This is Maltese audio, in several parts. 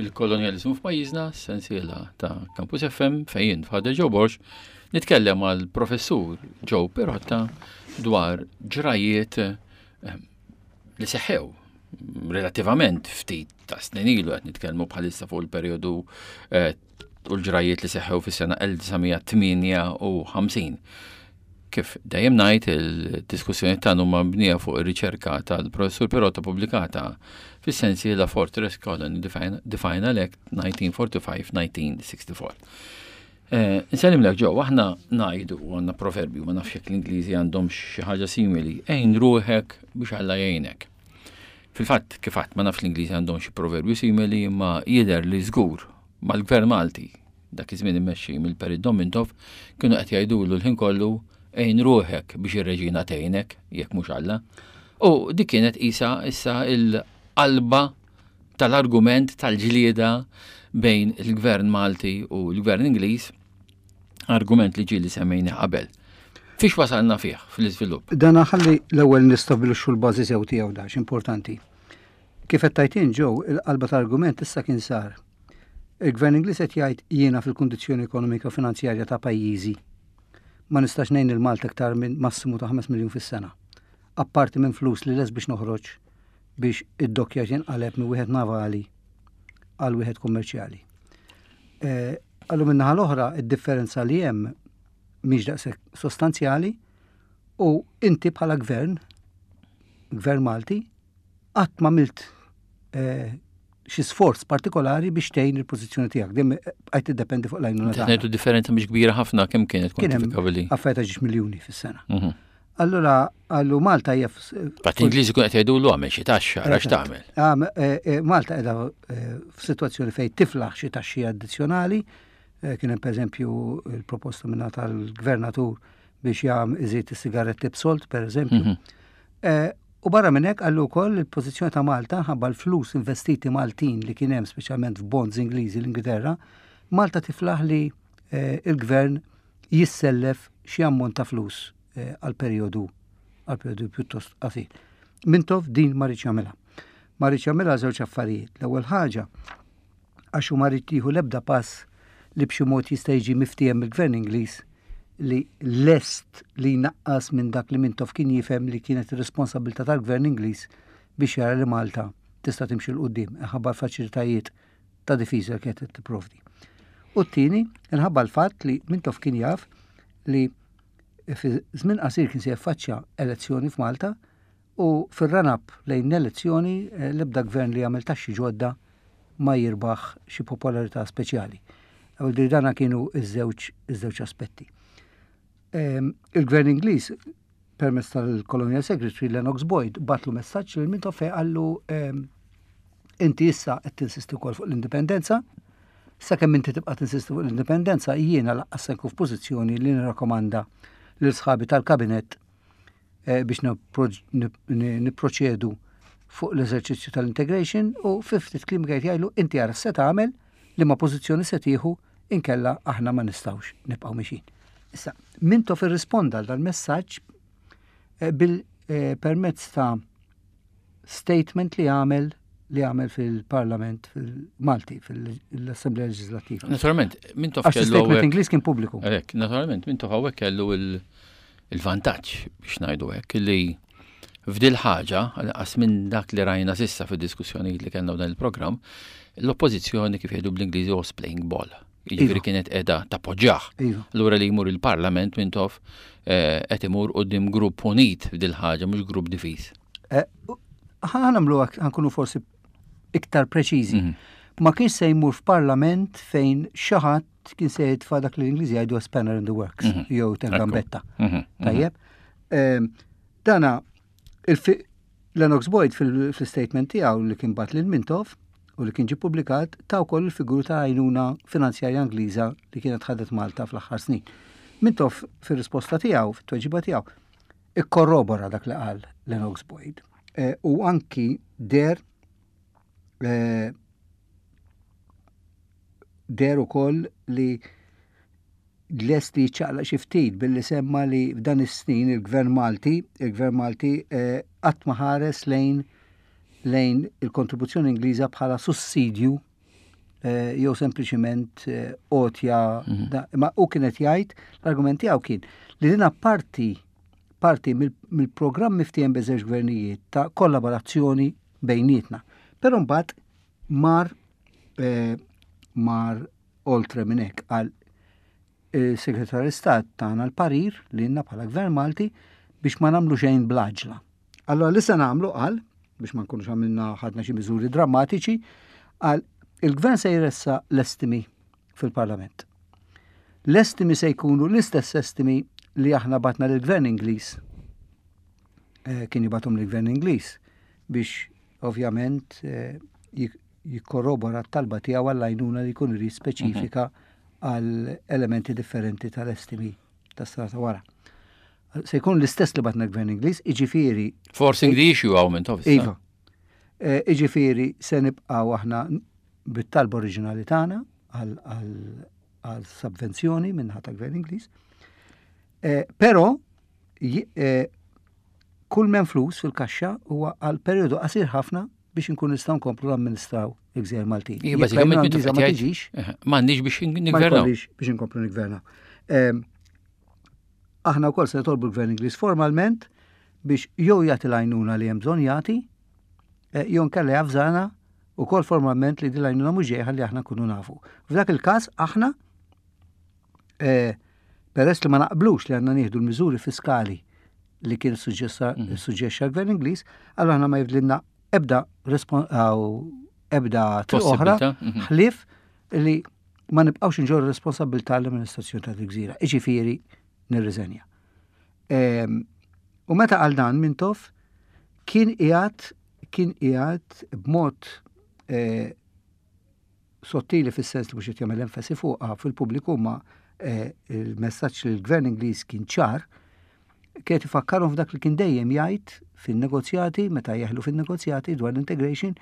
il-kolonjaliżmu f'pajjiżna, sensiela ta' Campus FM fejn Father Joe Borg nitkellem mal professur Joe Pirotta dwar ġrajiet eh, li seħħew relattivament ftit ta' snin ilu qed nitkellmu bħalissa fuq il-perjodu eh, u l-ġrajiet li seħħew fis-sena 1958. Kif dejjem ngħid il-diskussjoni tagħna huma mibnija fuq ir-riċerka tal-professur Pirotta pubblikata fis-sensiela Fortress Colony The Final Act 1945-1964. Eh, Nsellimlek ġew, aħna ngħidu għandna proverbju, ma nafx jekk l-Ingliżi għandhom xi ħaġa simili, għin ruħek biex Alla jgħinek. Fil-fatt, kif għadt, ma nafx l-Ingliżi għandhom xi proverbju simili, imma jidher li żgur mal-Gvern Malti, dak iż-żmien immexxi mill-Perit Dom Mintoff, kienu qed jgħidulu l-ħin kollu għin ruħek biex ir-reġina tgħinek, jekk mhux Alla. U dik kienet qisha issa il-qalba tal-argument tal-ġlieda bejn il-Gvern Malti u l-Gvern Ingliż, argument li ġieli semmejna qabel. Fiex wasalna fih fl-iżvilupp? Dan ħalli l-ewwel nistabbilixxu l-bażi sew tiegħu dax importanti. Kif qed tajtin ġew il-qalba tal-argument issa kien sar. Il-Gvern Ingliż qed jgħid jiena fil-kundizzjoni ekonomika finanzjarja ta' pajjiżi ma nistax ngħin il-Malta iktar minn massimu ta' 5 miljun fis-sena. Apparti minn flus li les biex noħroġ biex id-dockja jinqaleb minn wieħed navali għal wieħed kummerċjali. Eh, għallu minnaħa l-oħra, id-differenza li hemm mhix daqshekk sostanzjali u inti bħala gvern, gvern Malti, qatt ma milt eh, xi sforz partikolari biex tgħin il-pożizzjoni tiegħek. Dim bqajt tiddependi fuq l-għajnuna. Ngħidu differenza mhix kbira ħafna kemm kienet kwantifikabbli. Affarijiet ta' ġiex miljuni fis-sena. Mhm. Allura għallu Malta hija. Fatt Ingliżi kun qed jgħidulu għamel xi taxxa, għax tagħmel. Eh, eh, Malta qiegħda eh, f'sitwazzjoni fejn tiflaħ xi taxxi addizzjonali, kien hemm pereżempju l-proposta minna tal-gvernatur biex jagħm iżid is-sigaretti b'solt pereżempju. Mhm. U barra minn hekk qallu wkoll il-pożizzjoni ta' Malta ħabba l-flus investiti Maltin li kien hemm speċjalment f'bonds Ingliżi l-Ingilterra, Malta tiflaħ li il-gvern jissellef xi ammont ta' flus eh, għal perjodu għal perjodu pjuttost qasir. Mintoff din ma rridx jagħmilha. Ma rridx jagħmilha żewġ affarijiet. L-ewwel ħaġa għax hu ma rrid jieħu l-ebda pass li b'xi mod jista' jiġi miftiehem mill-Gvern Ingliż li lest li jnaqqas minn dak li Mintoff kien jifhem li kienet ir-responsabilità tal-Gvern Ingliż biex jara li Malta tista' timxi 'l quddiem inħabba l-faċilitajiet ta' difiża li kienet qed tipprovdi. U t-tieni, inħabba l-fatt li Mintoff kien jaf li fi żmien qasir kien se jaffaċċja elezzjoni f'Malta u fir-run-up lejn l-elezzjoni eh, l-ebda gvern li jagħmel taxxi ġodda ma jirbaħ xi popolarità speċjali. Għal dana kienu iż-żewġ iż-żewġ aspetti. Ehm, il-gvern Ingliż permezz tal-Colonial Secretary Lennox Boyd batlu messaġġ lil Mintoff fejn qallu ehm, inti issa qed tinsisti wkoll fuq l-indipendenza, sakemm inti tibqa' tinsisti fuq l-indipendenza jiena laqqas se nkun f'pożizzjoni li nirrakkomanda lil sħabi tal-kabinett eh, biex nipproċedu fuq l-eżerċizzju tal-integration u fi ftit kliem qed jgħidlu inti ara se tagħmel li ma pożizzjoni se tieħu inkella aħna ma nistgħux nibqgħu mixin. Issa, Mintoff irrisponda għal dal-messaġġ eh, bil eh, permezz ta' statement li għamel li għamel fil-Parlament fil-Malti, fil-Assemblea Leġislattiva. Naturalment, Mintoff kellu. Statement Ingliż kien pubbliku. Għalhekk, naturalment, Mintoff hawnhekk kellu il-vantaġġ biex ngħidu hekk li f'dil ħaġa, għas minn dak li rajna sissa fid-diskussjonijiet li kellna f'dan il-programm, l-oppożizzjoni kif jgħidu bl-Ingliżi was playing ball. Jiġifieri iva. kienet qiegħda tappoġġjah. Iva. Allura li jmur il-Parlament Mintoff eh, qed imur quddiem grupp unit f'dil ħaġa mhux grupp difiż. Eh, ħa nagħmlu ħankunu forsi iktar preċiżi. Mhm. Ma kienx se jmur f'Parlament fejn xi ħadd kien se jitfa' dak li l-Ingliżi jgħidu spanner in the works mhm. jew gambetta. Mhm, Tajjeb. Ehm, dana Lennox Boyd fil-statement tiegħu li kien bat lil Mintoff u li kien ġie publikat ta' wkoll il-figuru ta' għajnuna finanzjarja Ingliża li kienet ħadet Malta fl-aħħar snin. Mintoff fir-risposta tiegħu, fit-tweġiba tiegħu, ikkorrobora dak li qal Lennox Boyd eh, u anki der eh, der ukoll li lest li jiċċaqlaq xi ftit billi semma li f'dan is-snin il-Gvern Malti, il-Gvern Malti eh, qatt ma ħares lejn lejn il-kontribuzzjoni Ingliża bħala sussidju jew sempliċiment għotja mhm. ma u kienet jgħid l-argument tiegħu kien li din parti parti mill-programm miftiem bejn żewġ gvernijiet ta' kollaborazzjoni bejnietna. Però mbagħad mar eh, mar oltre minn hekk għal il-Segretarju Istat tagħna l-parir li lna bħala Gvern Malti biex ma nagħmlu xejn bl-għaġla. Allora li se nagħmlu qal biex ma nkunux għamilna ħadna xi miżuri drammatiċi, qal il-gvern se jressa l-estimi fil-Parlament. L-estimi se jkunu l-istess estimi li aħna batna lill-Gvern Ingliż eh, kien jibatom lill-Gvern Ingliż biex ovvjament eh, jikkorrobora t-talba tiegħu għall-għajnuna li jkun irid speċifika mhm. għal elementi differenti tal-estimi tas-sena ta' wara. Se jkun l-istess li batna gvern Ingliż, iġifieri. Forcing the issue għaw minn tof. Iva. Eh, iġifieri se nibqgħu aħna bit-talba oriġinali tagħna għal subvenzjoni minn ħata gvern Ingliż. Eh, però eh, kull men flus fil-kaxxa huwa għal periodu qasir ħafna biex inkun nistgħu nkomplu namministraw il-Gżejjer Maltin. Iva, bażikament ma tiġix. M'għandniex biex nigvernaw. Biex inkomplu nigvernaw. Ehm, aħna wkoll se nitolbu l-Gvern Ingliż formalment biex jew jagħti l-għajnuna li hemm bżonn jagħti, eh, jew nkella javżana wkoll formalment li din l-għajnuna mhux ġej ħalli aħna nkunu nafu. F'dak il-każ aħna eh, peress li ma naqblux li għandna nieħdu l-miżuri fiskali li kien mhm. suġġessa l-Gvern Ingliż, allura aħna ma jibdilna ebda ebda triq oħra mhm. ħlief li ma nibqgħux inġorru responsabilità l-amministrazzjoni ta' gżira iġifieri nirriżenja. Ehm, u meta għal dan Mintoff kien qiegħed kien qiegħed b'mod eh, sottili fis-sens li mhux qed jagħmel enfasi fuqha fil-pubbliku ma eh, il-messaġġ li l-gvern Ingliż kien ċar, kienet ifakkarhom f'dak li kien dejjem jgħid fin-negozjati, meta jeħlu fin-negozjati dwar l-integration,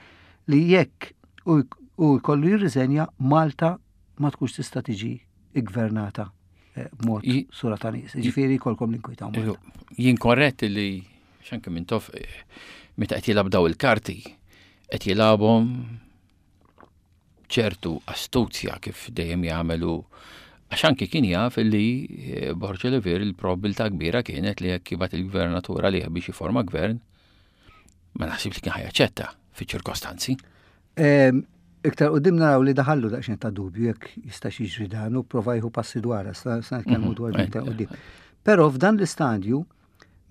li jekk u jkollu jirriżenja Malta ma tkunx tista' tiġi iggvernata eh, b'mod sura ta' nies. Ġifieri jkollkom l-inkwita. Jien korrett li xanke minn tof eh, meta qed jilgħab daw il-karti qed jilgħabhom ċertu astuzja kif dejjem jagħmel hu għax anki kien jaf li eh, Borg Olivier il-probabilità kbira kienet li jekk jibgħat il-gvernatur għalih biex jiforma gvern, ma naħsibx li kien ħajaċċetta fiċ-ċirkostanzi. Ehm, iktar qudiem naraw li daħallu daqsxejn ta' dubju jekk jista' jiġri dan u prova jieħu passi dwar, sa nitkellmu mhm. dwar iktar qudiem. Però f'dan l-istadju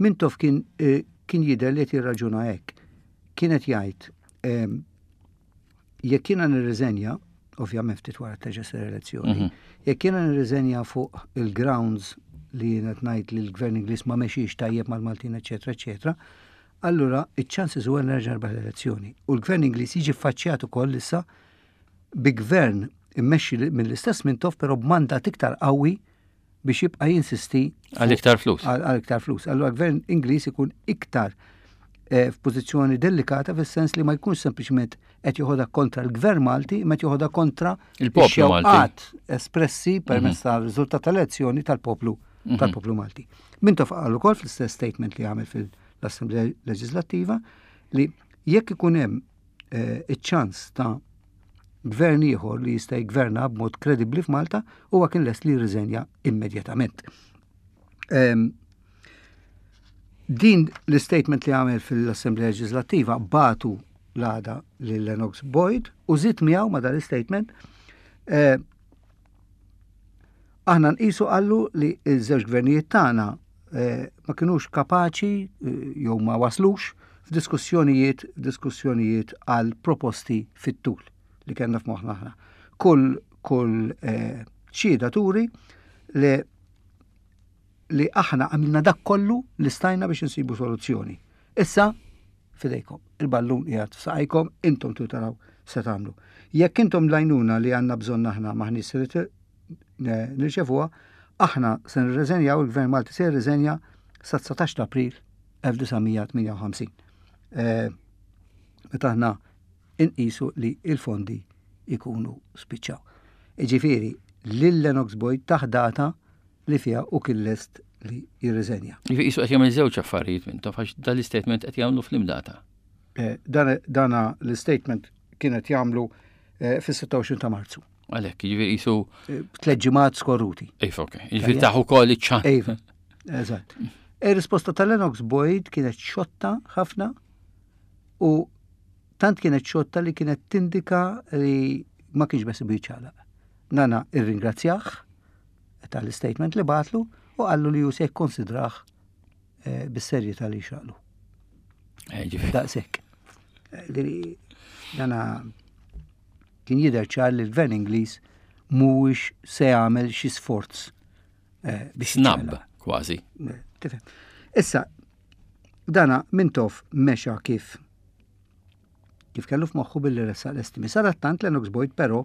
Mintoff kien eh, kien jidher li qed jirraġuna hekk. Kienet jgħid ehm, jekk jiena nirriżenja, ovvjament ftit wara terġa' sir elezzjoni, mhm. jekk jiena nirriżenja fuq il-grounds li jiena ngħid li l-gvern Ingliż ma mexiex tajjeb mal-Maltin, eċetera, eċetera, allura iċ-chances huwa nerġa' nirbaħ l-elezzjoni. U l-gvern Ingliż jiġi ffaċċjat ukoll issa bi gvern immexxi mill-istess Mintoff però b'mandat iktar qawwi biex jibqa' jinsisti għal iktar flus. Għal iktar flus. Allura gvern Ingliż ikun iktar eh, f'pożizzjoni delikata fis-sens li ma jkunx sempliċement qed joħodha kontra l-gvern Malti, imma qed joħodha kontra il-poplu Malti. espressi permezz mhm. tal-riżultat tal-elezzjoni tal-poplu mhm. tal-poplu Malti. Mintoff qal ukoll fl-istess statement li għamel fil-Assemblea Leġislattiva li jekk ikun hemm eh, iċ-ċans ta' gvern ieħor li jista' jgverna b'mod kredibbli f'Malta huwa kien lest li jirriżenja immedjatament. Ehm, din l-statement li għamel fil-Assemblea Leġislattiva batu l-għada lil Lennox Boyd u żied miegħu ma dan l-statement eh, aħna nqisu qallu li ż-żewġ gvernijiet tagħna eh, ma kinux kapaċi eh, jew ma waslux f'diskussjonijiet diskussjonijiet għal proposti fit-tul li kellna f'moħħna aħna. Kull kull eh, xhieda turi li li aħna għamilna dak kollu li stajna biex insibu soluzzjoni. Issa fidejkom, il-ballun qiegħed f'saqajkom, intom tu taraw se tagħmlu. Jekk intom l-għajnuna li għandna bżonn aħna maħniex se nirċevuha, aħna se nirreżenjaw, il-Gvern Malti se jirriżenja sa 19 ta' April 1958. Eh, meta aħna inqisu li il-fondi ikunu spiċċaw. Iġifieri, lil Lennox Boyd taħ data li fiha u kien lest li jirriżenja. Jiġifieri qisu qed jagħmel żewġ affarijiet minn taf għax dan l-istatement qed jagħmlu fl-imdata. Eh, dana l-statement kienet jagħmlu Eh, fis-26 ta' Marzu. Għalhekk, jiġifieri qisu. Eh, tliet ġimgħat skorruti. Iva, ok. Jiġifieri taħu ukoll iċ-ċan. Iva, eżatt. Ir-risposta tal-Lennox Boyd kienet xotta ħafna u tant kienet xotta li kienet tindika li ma kienx bes jiċċaqlaq. Nana irringrazzjah tal-statement li batlu u qallu li ju se jikkonsidrah eh, bis-serjetà li xaqlu. Eh, Daqshekk. Eh, dana kien jidher ċar li l-gvern Ingliż mhuwiex se jagħmel xi sforz biex Snab, kważi. Tifhem. Issa, dana Mintoff mexa kif kif kellu f'moħħu billi ressaq l-estimi. Sadattant Lennox Boyd però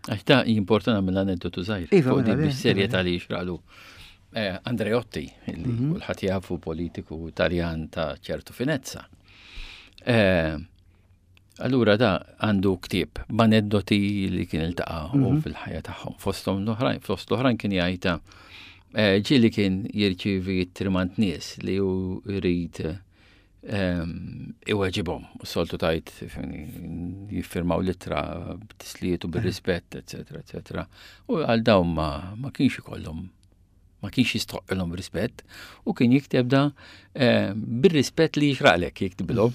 Għax ta' jimporta nagħmel aneddotu żgħir. Iva, fuq din mela, bis-serjetà li jixraqlu. Eh, Andreotti, li kulħadd jafu politiku Taljan ta' ċertu finezza. Eh, allura da għandu ktieb b'aneddoti li kien iltaqa' u fil-ħajja tagħhom. Fosthom l-oħrajn, fost l-oħrajn kien jgħidha eh, ġieli kien jirċievi trimant nies li hu jrid iweġibhom. U soltu tajt jiffirmaw litra b'tisliet u bir-rispett, eccetera, eccetera. U għal dawn ma, ma kienx ikollhom ma kienx jistħoqqilhom rispett u kien jikteb da eh, bir-rispett li jixraqlek jiktibilhom.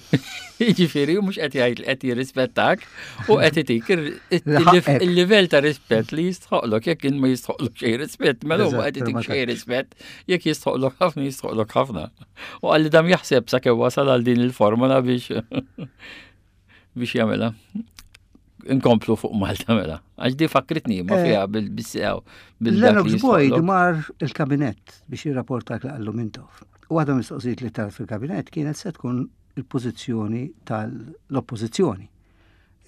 Jiġifieri mhux qed jgħid li qed jirrispettak u qed itik il-livell ta' rispett li jistħoqlok jekk ma jistħoqlok xejn rispett, mela huwa qed itik xejn rispett jekk jistħoqlok ħafna jistħoqlok ħafna. U għalli dam jaħseb sa kemm wasal għal din il-formula biex biex jagħmilha. Inkomplu fuq Malta mela. Għax di fakritni ma eh, fiha bil-sew. Lennox Boyd mar il-kabinett biex jirrapporta li qallu Mintoff. U għadha mistoqsijiet li tal fil-kabinett kienet se tkun il-pożizzjoni tal-oppożizzjoni.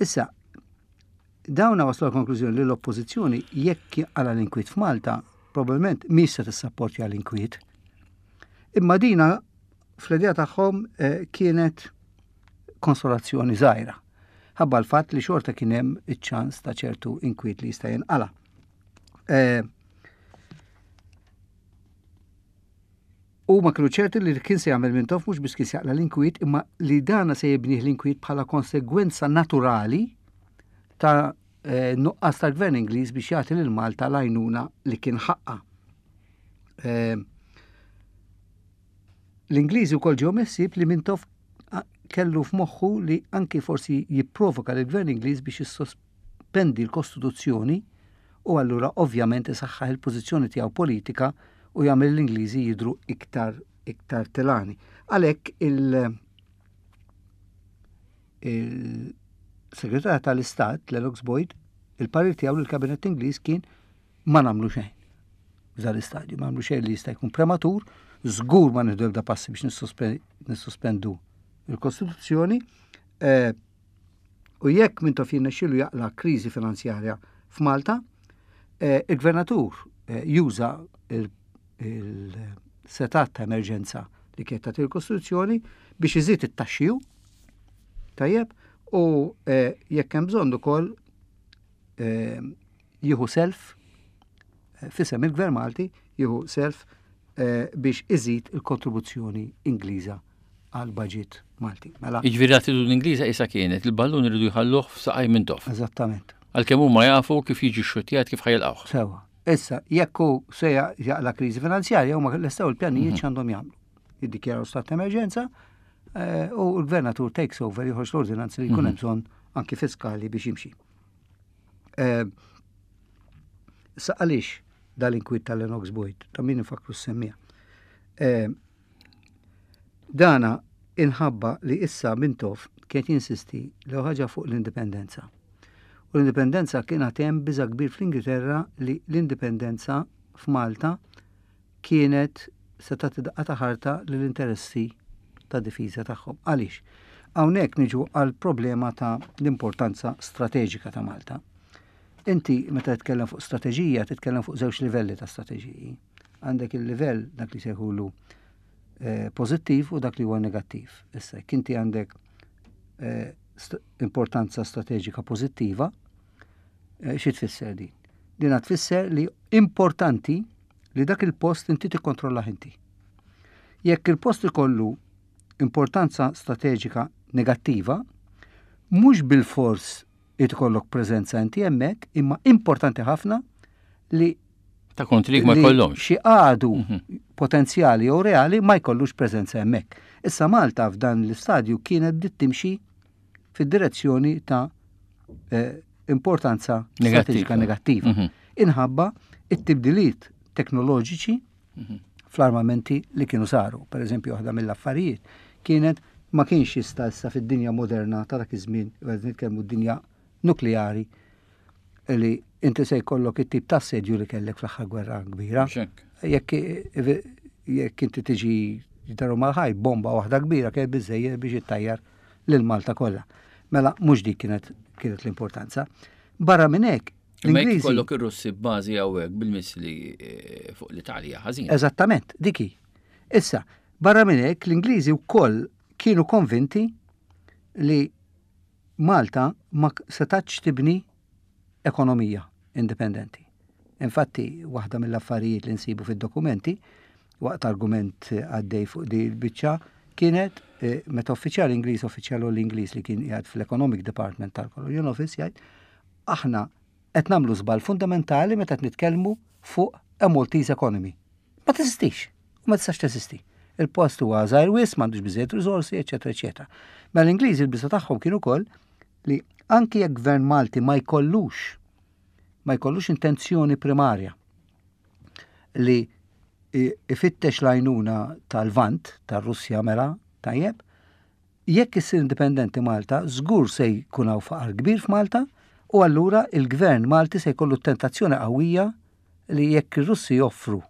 Issa, Dawna waslu għall-konklużjoni li l-Oppożizzjoni jekk jinqala' l-inkwiet f'Malta, probabbilment mhix se tissapportja l-inkwiet. Imma dina fl-idea tagħhom eh, kienet konsolazzjoni żgħira. Ħabba l-fatt li xorta kien hemm iċ-ċans ta' ċertu inkwiet li jista' jinqala'. Eh, Huma kienu ċerti li kien se jagħmel Mintoff mhux biss kien se jaqla' l-inkwiet imma li dana se jibnih l-inkwiet bħala konsegwenza naturali ta' eh, nuqqas tal-gvern Ingliż biex jagħti lil Malta l-għajnuna li kien ħaqqa. Eh, L-Ingliżi wkoll ġew meħsieb li Mintoff kellu f'moħħu li anki forsi jipprovoka lill-gvern Ingliż biex jissospendi l-Kostituzzjoni u allura ovvjament isaħħaħ il-pożizzjoni tiegħu politika u jagħmel l-Ingliżi jidhru iktar iktar tilani. Għalhekk il- il-Segretarju tal-Istat, Lennox Boyd, il-parir tiegħu lill-Kabinett Ingliż kien ma nagħmlu xejn. F'dan l-istadju ma nagħmlu xejn li jista' jkun prematur, żgur ma nieħdu ebda passi biex nissospendu il-Kostituzzjoni. Eh, u jekk Mintoff jirnexxielu jaqla' kriżi finanzjarja f'Malta, eh, il-gvernatur eh, juża il-setat ta' emerġenza li kienet tagħti l-Kostituzzjoni biex iżid it-taxxiju tajjeb u jekk hemm bżonn ukoll jieħu self eh, fisem il-Gvern Malti jieħu self eh, biex iżid il-kontribuzzjoni Ingliża għal budget Malti. Mela. Jiġifieri l-attitudni Ingliża isa kienet il-ballun iridu jħalluh f'saqaj Mintoff. Eżattament. Għalkemm huma jafu kif jiġi xxuttjat kif ħajilqgħuh. Sewa. Issa, jekk hu se jaqla kriżi finanzjarja huma lestew il-pjanijiet mhm. x'għandhom jagħmlu. Jiddikjaraw stat ta' emerġenza eh, u l-gvernatur takes over joħroġ l-ordinanzi li jkun mhm. hemm bżonn anki fiskali biex jimxi. Eh, sa għaliex dal-inkwiet tal-Lennox Boyd, ta' min infakru s-semmija. Eh, dana inħabba li issa Mintoff kien jinsisti l ħaġa fuq l-indipendenza. U l-indipendenza kien hemm biża kbir fl-Ingilterra li l-indipendenza f'Malta kienet se tagħti daqqa ta' ħarta lill-interessi ta' difiża tagħhom. Għaliex? Hawnhekk niġu għal problema ta' l-importanza strateġika ta' Malta. Inti meta titkellem fuq strateġija, titkellem fuq żewġ livelli ta' strateġiji. Għandek il-livell dak li sejħulu eh, pożittiv u dak li huwa negattiv. Issa, jekk inti għandek eh, importanza strateġika pożittiva, eh, xi tfisser din? Din tfisser li importanti li dak il-post inti tikkontrollah inti. Jekk il-post ikollu importanza strateġika negattiva, mhux bilfors Irid ikollok preżenza inti hemmhekk, imma importanti ħafna li ta' kontrik ma jkollhomx. Xi għadu mhm. potenzjali jew reali ma jkollux preżenza hemmhekk. Issa Malta f'dan l-istadju kienet bdiet timxi fid-direzzjoni ta' eh, importanza strateġika negattiva. Mhm. Inħabba it-tibdiliet teknoloġiċi mhm. fl-armamenti li kienu saru. Per eżempju, waħda mill-affarijiet kienet ma kienx jista' issa fid-dinja moderna ta' dak iż-żmien, qed nitkellmu d-dinja nukleari li inti se jkollok it-tip ta' assedju li kellek fl-aħħar gwerra kbira. Jekk jekk inti tiġi daru mal-ħaj bomba waħda kbira kienet biżejjed biex ittajjar lil Malta kollha. Mela mhux dik kienet kienet l-importanza. Barra minn hekk, Imma jekk ikollok ir-Russi b'bażi hawnhekk bil-missili eh, fuq l-Italja ħażin. Eżattament, dik hi. Issa, barra minn hekk l-Ingliżi wkoll kienu konvinti li Malta ma setatx tibni ekonomija indipendenti. Infatti, waħda mill-affarijiet li nsibu fid-dokumenti waqt argument għaddej fuq di l-biċċa kienet eh, meta uffiċjal Ingliż, uffiċjal l-Ingliż li kien qiegħed fl-Economic Department tal-Colonial Office jgħid aħna qed nagħmlu żball fundamentali meta qed nitkellmu fuq a Maltese economy. Ma teżistix, u ma tistax teżisti. Il-post huwa żgħir wisq, m'għandux biżejjed riżorsi, eċetera, eċetera. Mela l-Ingliżi l-biża tagħhom kien ukoll li anki jekk gvern Malti ma jkollux ma jkollux intenzjoni primarja li ifittex l-għajnuna tal-Vant, tar-Russja mela, tajjeb, Jekk issir indipendenti Malta, żgur se jkun hawn faqar kbir f'Malta u allura il-Gvern Malti se jkollu t-tentazzjoni qawwija li jekk ir-Russi joffru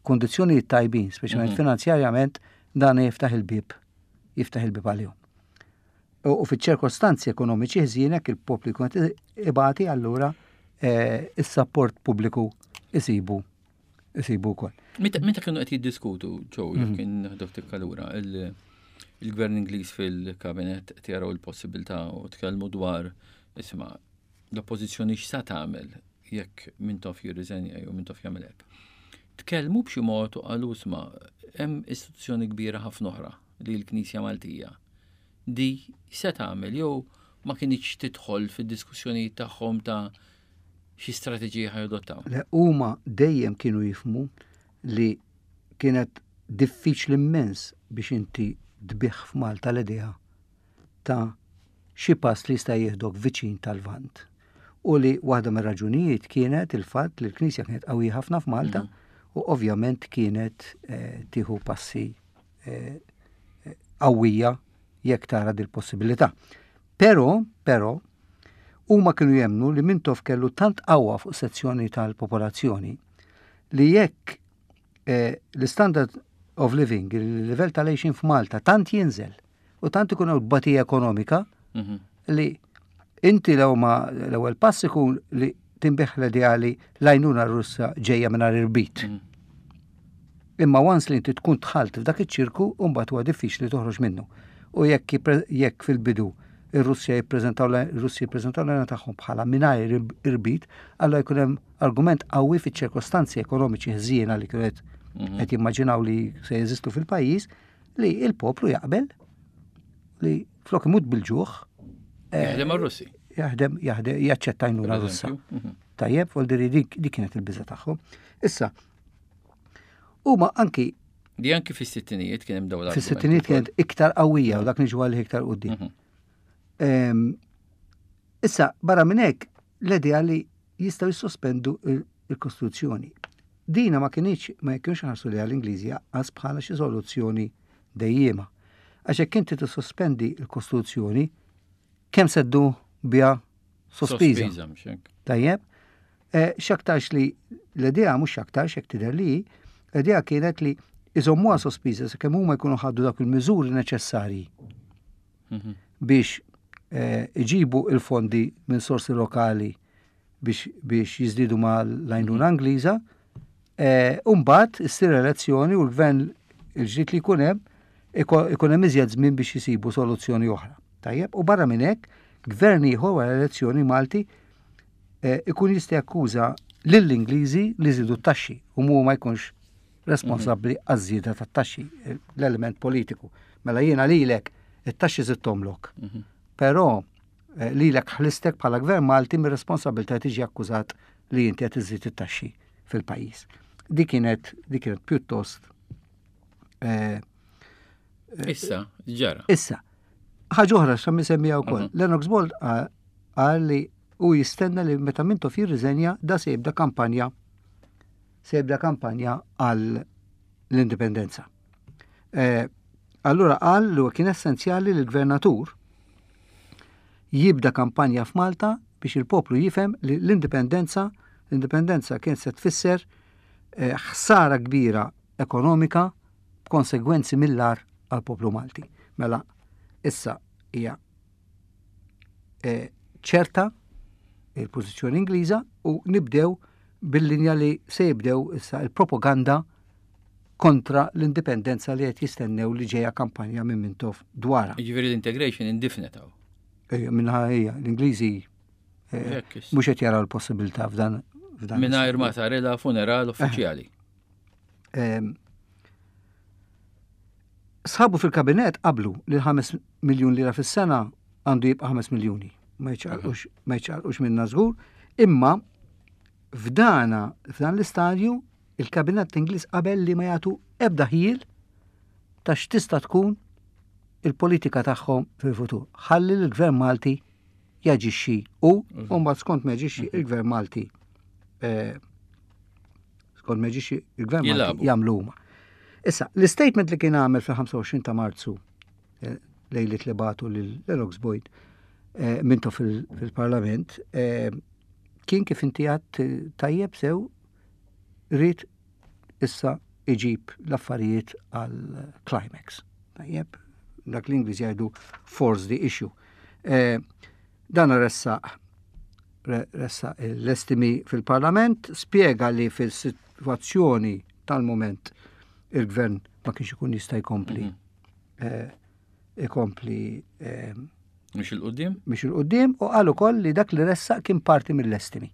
kundizzjonijiet tajbin, speċjalment mhm. finanzjarjament, dan jiftaħ il-bieb, jiftaħ il-bieb għalihom. U fiċ-ċirkostanzi ekonomiċi ħżiena jekk il-poplu jkun qed ibati allura eh, is-sapport pubbliku isibu isibu wkoll. Meta kienu qed jiddiskutu ġew jekk mhm. kien naħdok tikkalura il-gvern Ingliż fil-kabinet qed jaraw il-possibilità u tkellmu dwar isma' l-oppożizzjoni x'sa tagħmel jekk Mintoff jirriżenja jew Mintoff jagħmel hekk. Tkellmu b'xi mod u qalu isma' hemm istituzzjoni kbira ħafna oħra li l-Knisja Maltija di se tagħmel jew ma kinitx tidħol fid-diskussjonijiet tagħhom ta' xi strateġija ħa jadottaw? Le, huma dejjem kienu jifhmu li kienet diffiċli immens biex inti tbigħ f'Malta l-idea ta' xi pass li jista' jieħdok viċin tal-Lvant. U li waħda mir-raġunijiet kienet il-fatt li l-Knisja kienet qawwija ħafna f'Malta mhm. u ovvjament kienet eh, tieħu passi eh, qawwija jekk tara dil-possibilità. Però, però, huma kienu jemmnu li Mintoff kellu tant qawwa fuq sezzjoni tal-popolazzjoni li jekk eh, l-standard of living, il-livell tal-għixin f'Malta tant jinżel u tant ikun hawn tbatija ekonomika mhm. li inti l ma l-ewwel pass ikun li tinbih l-idea li l-għajnuna Russa ġejja mingħajr irbit. Mhm. Imma once li inti tkun dħalt f'dak iċ-ċirku, mbagħad huwa diffiċli toħroġ minnu. U jekk jekk fil-bidu ir-Russja jippreżentaw ir-Russi jippreżentaw l-għajnuna tagħhom bħala mingħajr irbit, allura jkun hemm argument qawwi fiċ-ċirkostanzi ekonomiċi ħżiena li kienu qed mhm. qed jimmaġinaw li se jeżistu fil-pajjiż li il-poplu jaqbel li flok imut bil-ġuħ. Eh, jaħdem għar-Russi. Jaħdem, jaħdem, jaċċetta għajnuna Russa. Mhm. Tajjeb, vol dik kienet il-biża tagħhom. Issa, Huma anki Di anki fis-sittinijiet kien hemm dawn Fis-sittinijiet kienet iktar qawwija u dak niġu għalih iktar quddiem. Mhm. Ehm, issa, barra minn hekk, l-idea li jistgħu jissospendu il-Kostituzzjoni. Dina ma kienx ma kienx ħarsu li għall-Ingliżi għas bħala xi soluzzjoni dejjiema. Għax hekk inti tissospendi l-Kostituzzjoni, kemm seddu biha sospiża. Tajjeb, eh, x'aktarx li l-idea mhux x'aktarx hekk tidher li l-idea kienet li iżommuha sospiża sakemm huma jkunu ħaddu dak il-miżuri neċessarji mhm. biex eh, iġibu il-fondi minn sorsi lokali biex, biex jizdidu ma l-għajnuna mhm. Angliża, eh, Umbat issir elezzjoni u l-gvern il-ġdid li jkun hemm ikun hemm iżjed żmien biex jisibu soluzzjoni oħra. Tajjeb, u barra minn hekk, gvern ieħor wara elezzjoni Malti eh, ikun jista' jakkuża lill-Ingliżi li żidu t-taxxi u mu ma jkunx responsabbli mhm. għaż-żieda tat-taxxi, l-element politiku. Mela jiena lilek it-taxxi żidthomlok. Mhm. Però Eh, lilek ħlistek bħala gvern Malti mir-responsabilità tiġi akkużat li inti qed iżżid it-taxxi fil-pajjiż. Dik kienet dik kienet pjuttost eh, eh, Issa, ġara. Issa, ħaġa oħra xa semmija wkoll. Mhm. Lennox Bold qal li u jistenna li meta Mintoff jirriżenja da se jibda kampanja se jibda kampanja għal l-indipendenza. Eh, allura qal li kien essenzjali li l-gvernatur jibda kampanja f'Malta biex il-poplu jifhem li l-indipendenza l-indipendenza kien se tfisser eh, ħsara kbira ekonomika b'konsegwenzi mill-ar għal poplu Malti. Mela, issa hija eh, ċerta il-pożizzjoni Ingliża u nibdew bil-linja li se jibdew issa il-propaganda kontra l-indipendenza li qed jistennew li ġejja kampanja minn Mintoff dwarha. Jiġifieri l-integration indifnet hawn. Ejja, minnha hija, l-Ingliżi eh, mhux qed jaraw l-possibilità f'dan f'dan. Mingħajr ma sarilha funeral uffiċjali. Ehm, sħabu fil-kabinet qablu li l-5 miljun lira fis-sena għandu jibqa' 5 miljuni. Ma jċaqlqux minna żgur, imma f'dana f'dan l-istadju il-kabinett Ingliż qabel li ma jagħtu ebda ħjiel ta' x'tista' tkun il-politika tagħhom fil-futur. Ħalli l-Gvern Malti jaġixxi u mhm. mbagħad skont ma jaġixxi mhm. il-Gvern Malti eh, skont ma jaġixxi il-Gvern Malti jagħmlu huma. Issa, l-statement li kien għamel fil-25 ta' Marzu eh, lejlit li batu lil Lennox Boyd eh, minto fil-Parlament kien kif inti għat tajjeb sew Ried issa iġib l-affarijiet għal climax. Tajjeb, dak l-Ingliż jgħidu force the issue. Eh, dan ressaq ressaq l-estimi fil-Parlament, spjega li fil-situazzjoni tal-moment il-gvern ma kienx ikun jista' jkompli. Mm -hmm. eh, ikompli eh, Mhux il-qudiem? Mhux il-qudiem u qal ukoll li dak li ressaq kien parti mill-estimi.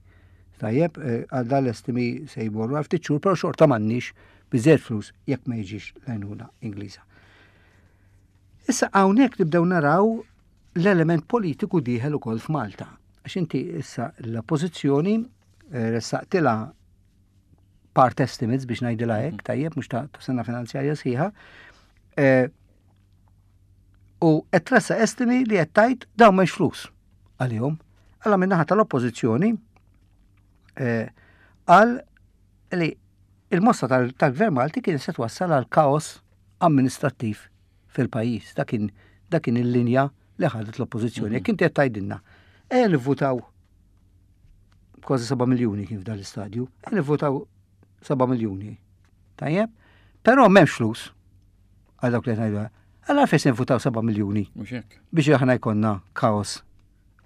Tajjeb, eh, għal dan l-estimi se jmorru għal ftit xhur, però xorta m'għandniex biżejjed flus jekk ma jiġix l-għajnuna Ingliża. Issa hawnhekk nibdew naraw l-element politiku dieħel ukoll f'Malta. Għax inti issa l-oppożizzjoni eh, ressaqtilha part estimates biex ngħidilha hekk, mm. tajjeb mhux ta' sena finanzjarja sħiħa. Eh, u qed tressa estimi li qed tgħid dawn m'hemmx flus għalihom. Alla min-naħa tal-oppożizzjoni eh, qal li il-mossa tal-Gvern Malti kien se twassal għal kaos amministrattiv fil-pajjiż. Dak kien il-linja li ħadet l-oppożizzjoni. Mhm. Jekk inti qed tgħidilna, ejja nivvutaw kważi 7 miljuni kien f'dan l-istadju, ejja nivvutaw 7 miljuni. Tajjeb? Però m'hemmx flus għal dawk li ngħidu. Għal fejn se nvutaw 7 miljuni. Biex aħna jkollna kaos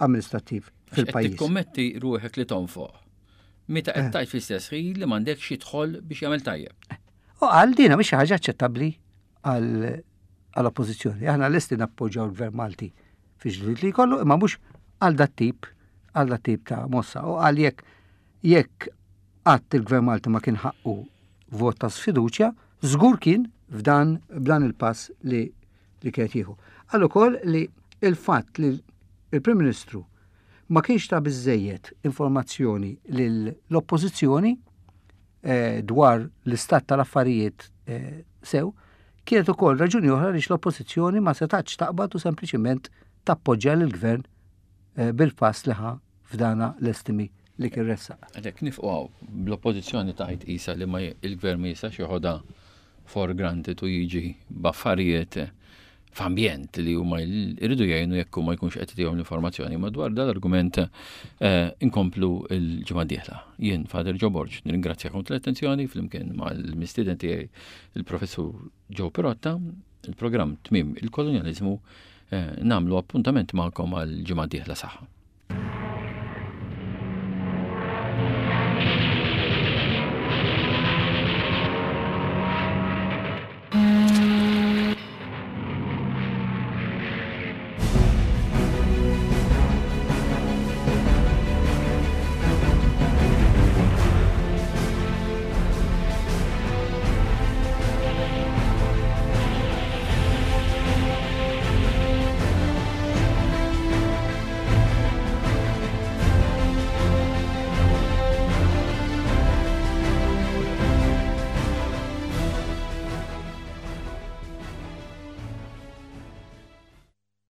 amministrattiv fil-pajjiż. Tikkommetti ruħek li tonfoq. Meta qed eh. tajt fl-istess ħin li m'għandekx xi dħol biex jagħmel tajjeb. Eh. U qal dina mhix xi ħaġa aċċettabbli għall-oppożizzjoni. Aħna lesti nappoġġjaw il-Gvern Malti fi ġlied li jkollu, imma mhux għal dat tip għal dat tip ta' mossa. U qal jekk jekk qatt il-Gvern Malti ma kien ħaqqu vot ta' sfiduċja, żgur kien f'dan b'dan il-pass li li kienet jieħu. Qal ukoll li il-fatt li il-Prim Ministru ma kienx ta' biżejjed informazzjoni lill-oppożizzjoni eh, dwar l-istat tal-affarijiet eh, sew, kienet ukoll raġuni oħra li l-oppożizzjoni ma setax taqbad u sempliċiment tappoġġja lill-gvern eh, bil-pass li ħa f'dana l-estimi li kien ressaq. Għalhekk nifqu hawn bl-oppożizzjoni tgħid qisha li ma il-gvern ma jistax joħodha for granted u jiġi b'affarijiet f'ambjent li huma jridu jgħinu jekk ma jkunx qed jagħtihom l-informazzjoni. Madwar dal-argument eh, inkomplu l-ġimgħa dieħla. Jien Father Joe Borg, nirringrazzjakom tal-attenzjoni flimkien mal-mistieden tiegħi il-Professur Joe Pirotta, il-programm Tmiem il-Kolonjaliżmu eh, nagħmlu appuntament magħkom għal ġimgħa dieħla saħħa.